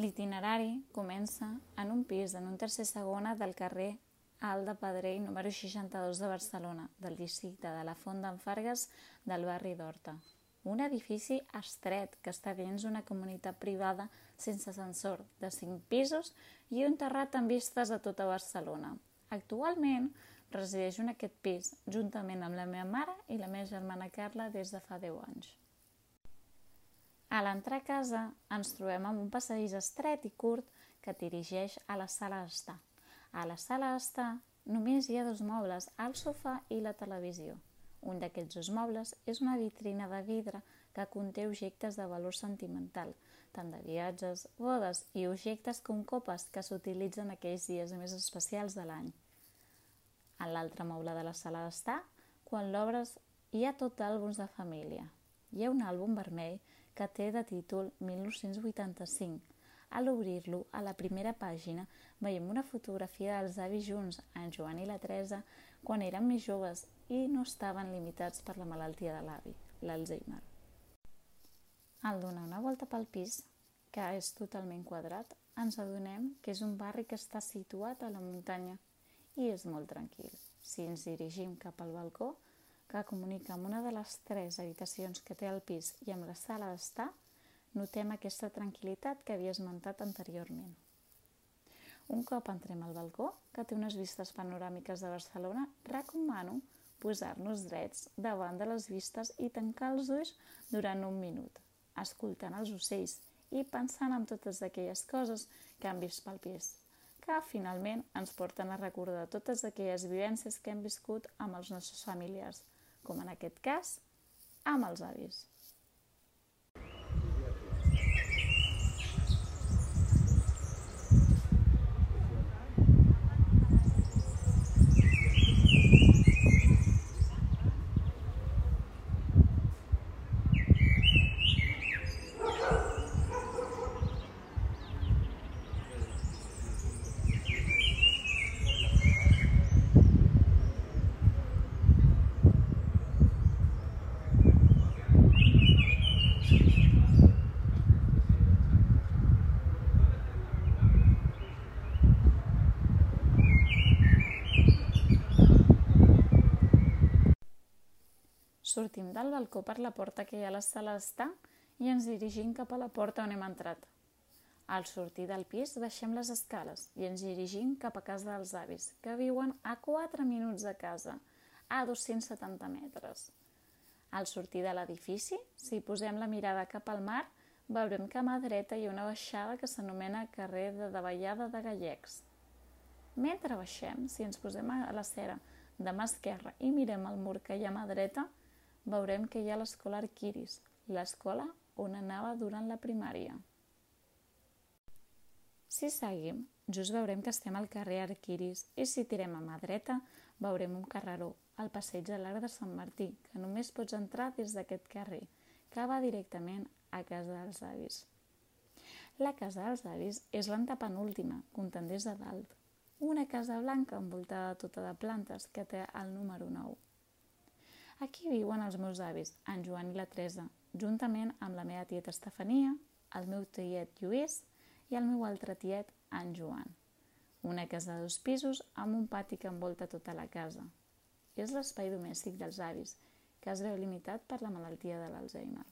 L'itinerari comença en un pis en un tercer segona del carrer Alt de Pedrell número 62 de Barcelona, del districte de la Font d'en Fargues del barri d'Horta. Un edifici estret que està dins una comunitat privada sense ascensor, de 5 pisos i un terrat amb vistes a tota Barcelona. Actualment resideix en aquest pis juntament amb la meva mare i la meva germana Carla des de fa 10 anys. A l'entrar a casa ens trobem amb un passadís estret i curt que et dirigeix a la sala d'estar. A la sala d'estar només hi ha 2 mobles, el sofà i la televisió. Un d'aquests 2 mobles és una vitrina de vidre que conté objectes de valor sentimental, tant de viatges, bodes i objectes com copes que s'utilitzen aquells dies més especials de l'any. En l'altre moble de la sala d'estar, quan l'obres, hi ha tot àlbums de família. Hi ha un àlbum vermell que té de títol 1985. A l'obrir-lo, a la primera pàgina, veiem una fotografia dels avis junts, en Joan i la Teresa, quan eren més joves i no estaven limitats per la malaltia de l'avi, l'Alzheimer. Al donar una volta pel pis, que és totalment quadrat, ens adonem que és un barri que està situat a la muntanya i és molt tranquil. Si ens dirigim cap al balcó, que comunica amb una de les 3 habitacions que té el pis i amb la sala d'estar, notem aquesta tranquil·litat que havia esmentat anteriorment. Un cop entrem al balcó, que té unes vistes panoràmiques de Barcelona, recomano posar-nos drets davant de les vistes i tancar els ulls durant un minut, escoltant els ocells i pensant en totes aquelles coses que hem vist pel pis, que finalment ens porten a recordar totes aquelles vivències que hem viscut amb els nostres familiars, com en aquest cas, amb els avis. Sortim del balcó per la porta que hi ha a la sala d'estar i ens dirigim cap a la porta on hem entrat. Al sortir del pis baixem les escales i ens dirigim cap a casa dels avis, que viuen a 4 minuts de casa, a 270 metres. Al sortir de l'edifici, si posem la mirada cap al mar, veurem que a mà dreta hi ha una baixada que s'anomena carrer de Davallada de Gallecs. Mentre baixem, si ens posem a l'acera de mà esquerra i mirem el mur que hi ha a mà dreta, veurem que hi ha l'escola Arquiris, l'escola on anava durant la primària. Si seguim, just veurem que estem al carrer Arquiris i si tirem a mà dreta, veurem un carreró, el passeig de l'Arc de Sant Martí, que només pots entrar des d'aquest carrer, que va directament a casa dels avis. La casa dels avis és l'antepenúltima, comptant des de dalt. Una casa blanca envoltada tota de plantes que té el número 9. Aquí viuen els meus avis, en Joan i la Teresa, juntament amb la meva tieta Estefania, el meu tiet Lluís i el meu altre tiet, en Joan. Una casa de 2 pisos amb un pati que envolta tota la casa. És l'espai domèstic dels avis, que es veu limitat per la malaltia de l'Alzheimer.